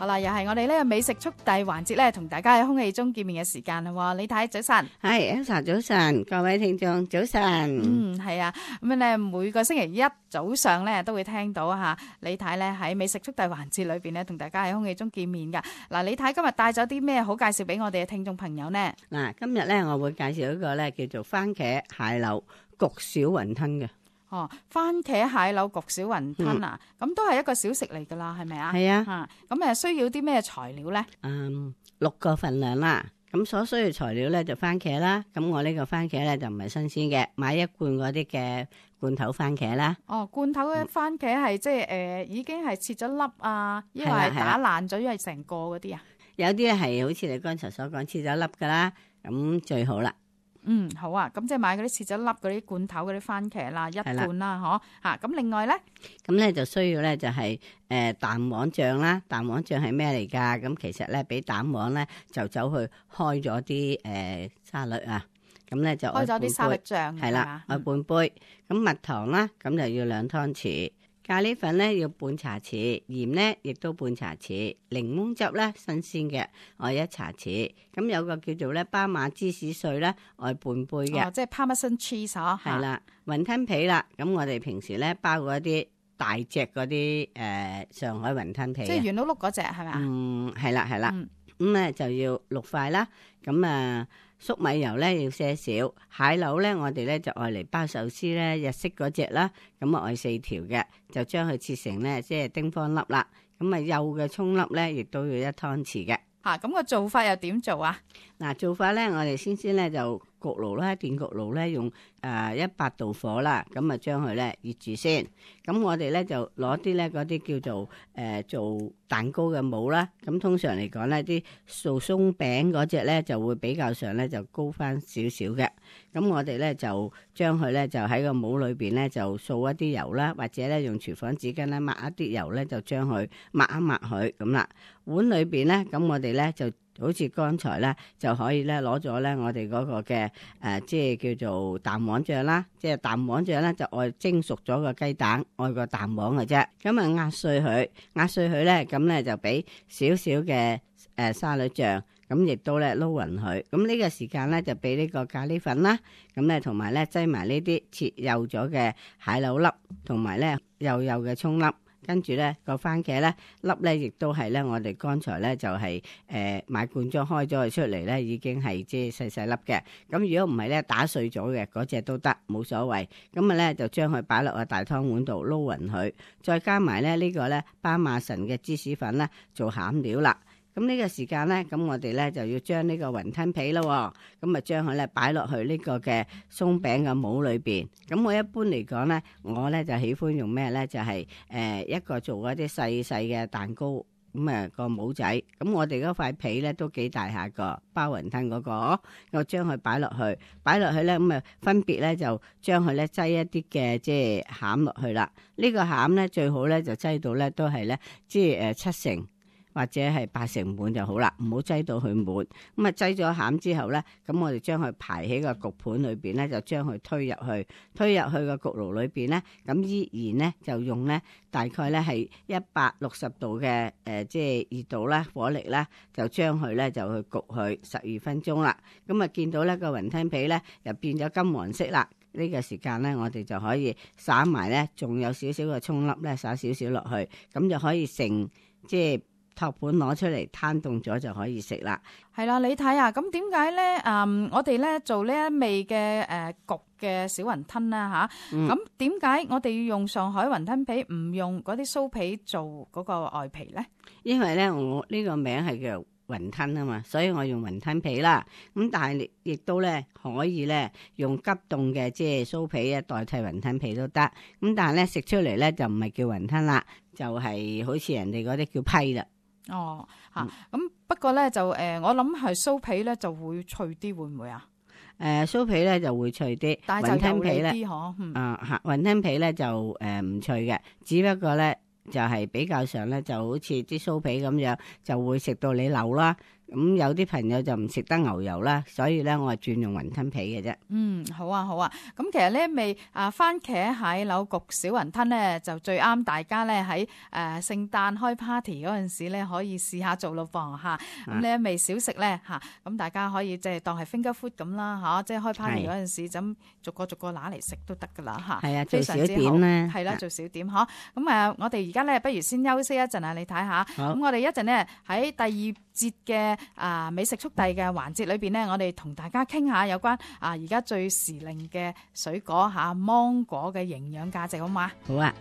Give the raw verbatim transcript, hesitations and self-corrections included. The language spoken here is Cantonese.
好啦，又係我哋呢個美食速遞環節咧，同大家喺空氣中見面嘅時間啦。李太早晨，係 Elsa 早晨，各位聽眾早晨。嗯，係啊，咁咧每個星期一早上咧都會聽到吓李太咧喺美食速遞環節裏邊咧，同大家喺空氣中見面噶。嗱，李太今日帶咗啲咩好介紹俾我哋嘅聽眾朋友呢？嗱，今日咧我會介紹一個咧叫做番茄蟹柳焗小雲吞嘅。哦，番茄蟹柳焗小雲吞啊，咁、嗯、都係一個小食嚟噶啦，係咪啊？係啊。吓，咁誒需要啲咩材料咧？嗯，六個份量啦。咁所需要材料咧就番茄啦。咁我呢個番茄咧就唔係新鮮嘅，買一罐嗰啲嘅罐頭番茄啦。哦，罐頭嘅番茄係、嗯、即係誒、呃，已經係切咗粒啊，因為係打爛咗，因為成個嗰啲啊。有啲咧係好似你剛才所講切咗粒噶啦，咁最好啦。嗯，好啊，咁即係買嗰啲切咗粒嗰啲罐頭嗰啲番茄啦，一罐啦，嗬吓。咁另外咧，咁咧就需要咧就係誒蛋黃醬啦。蛋黃醬係咩嚟噶？咁其實咧俾蛋黃咧就走去開咗啲誒沙律啊。咁咧就開咗啲沙律醬係啦，愛半杯。咁蜜糖啦，咁就要兩湯匙。咖喱粉咧要半茶匙，鹽咧亦都半茶匙，檸檬汁咧新鮮嘅愛一茶匙，咁有個叫做咧巴馬芝士碎咧愛半杯嘅，哦，即係 Parmesan cheese 嗬。係啦，雲吞皮啦，咁我哋平時咧包嗰啲大隻嗰啲誒上海雲吞皮，即係圓碌碌嗰隻係咪啊？嗯，係啦係啦，咁咧、嗯、就要六塊啦，咁啊。粟米油咧要些少，蟹柳咧我哋咧就愛嚟包壽司咧日式嗰隻啦，咁啊愛四條嘅，就將佢切成咧即係丁方粒啦，咁啊幼嘅葱粒咧亦都要一湯匙嘅。吓，咁個做法又點做啊？嗱，做法咧我哋先先咧就焗爐啦，電焗爐咧用誒一百度火啦，咁啊將佢咧熱住先。咁我哋咧就攞啲咧嗰啲叫做誒、呃、做蛋糕嘅模啦。咁通常嚟講咧啲做鬆餅嗰隻咧就會比較上咧就高翻少少嘅。咁我哋咧就將佢咧就喺個模裏邊咧就掃一啲油啦，或者咧用廚房紙巾咧抹一啲油咧就將佢抹一抹佢咁啦。碗裏邊咧咁我哋咧就好似剛才咧就可以咧攞咗咧我哋嗰個嘅誒、呃、即係叫做蛋黃醬啦，即係蛋黃醬咧就愛蒸熟咗個雞蛋，愛個蛋黃嘅啫。咁啊壓碎佢，壓碎佢咧咁咧就俾少少嘅誒沙律醬，咁亦都咧撈勻佢。咁呢個時間咧就俾呢個咖喱粉啦，咁咧同埋咧擠埋呢啲切幼咗嘅蟹柳粒，同埋咧幼幼嘅葱粒。跟住咧個番茄咧粒咧亦都係咧我哋剛才咧就係、是、誒、呃、買罐裝開咗佢出嚟咧已經係即係細細粒嘅。咁如果唔係咧打碎咗嘅嗰隻都得，冇所謂。咁啊咧就將佢擺落個大湯碗度撈勻佢，再加埋咧呢個咧巴馬臣嘅芝士粉咧做餡料啦。咁呢個時間咧，咁我哋咧就要將呢個雲吞皮咯，咁啊將佢咧擺落去呢個嘅鬆餅嘅模裏邊。咁我一般嚟講咧，我咧就喜歡用咩咧？就係、是、誒、呃、一個做一啲細細嘅蛋糕，咁啊個模仔。咁我哋嗰塊皮咧都幾大下個，包雲吞嗰、那個，我將佢擺落去，擺落去咧咁啊分別咧就將佢咧擠一啲嘅即係餡落去啦。呢、這個餡咧最好咧就擠到咧都係咧即係誒七成。或者係八成滿就好啦，唔好擠到佢滿。咁啊擠咗餡之後咧，咁我哋將佢排喺個焗盤裏邊咧，就將佢推入去，推入去個焗爐裏邊咧，咁依然咧就用咧大概咧係一百六十度嘅誒、呃，即係熱度啦，火力啦，就將佢咧就去焗佢十二分鐘啦。咁啊見到咧個雲吞皮咧又變咗金黃色啦，呢、這個時間咧我哋就可以灑埋咧，仲有少少嘅葱粒咧，灑少少落去，咁就可以成即係。托盤攞出嚟攤凍咗就可以食啦。係啦，你睇下，咁點解咧？嗯，我哋咧做呢一味嘅誒焗嘅小雲吞啦吓，咁點解我哋要用上海雲吞皮，唔用嗰啲酥皮做嗰個外皮咧？因為咧，我呢個名係叫雲吞啊嘛，所以我用雲吞皮啦。咁但係亦都咧可以咧用急凍嘅即係酥皮啊代替雲吞皮都得。咁但係咧食出嚟咧就唔係叫雲吞啦，就係、是、好似人哋嗰啲叫批啦。哦，吓、嗯、咁不過咧就誒、呃，我諗係酥皮咧就會脆啲，會唔會啊？誒、呃，酥皮咧就會脆啲，但係就油膩啲嗬。嗯、啊吓，雲吞皮咧就誒唔、呃、脆嘅，只不過咧就係、是、比較上咧就好似啲酥皮咁樣，就會食到你流啦。咁有啲朋友就唔食得牛油啦，所以咧我係轉用雲吞皮嘅啫。嗯，好啊，好啊。咁其實呢一味啊番茄蟹柳焗小雲吞咧，就最啱大家咧喺誒聖誕開 party 嗰陣時咧，可以試下做咯噃嚇。咁呢一味小食咧嚇，咁大家可以即係當係 finger food 咁啦嚇，即係開 party 嗰陣時咁逐個逐個拿嚟食都得噶啦嚇。係啊，做小非常之好點咧，係啦，做小點嗬。咁誒，我哋而家咧，不如先休息一陣啊，你睇下。咁我哋一陣咧喺第二節嘅啊美食速遞嘅環節裏邊咧，我哋同大家傾下有關啊而家最時令嘅水果嚇芒果嘅營養價值，好嘛？好啊。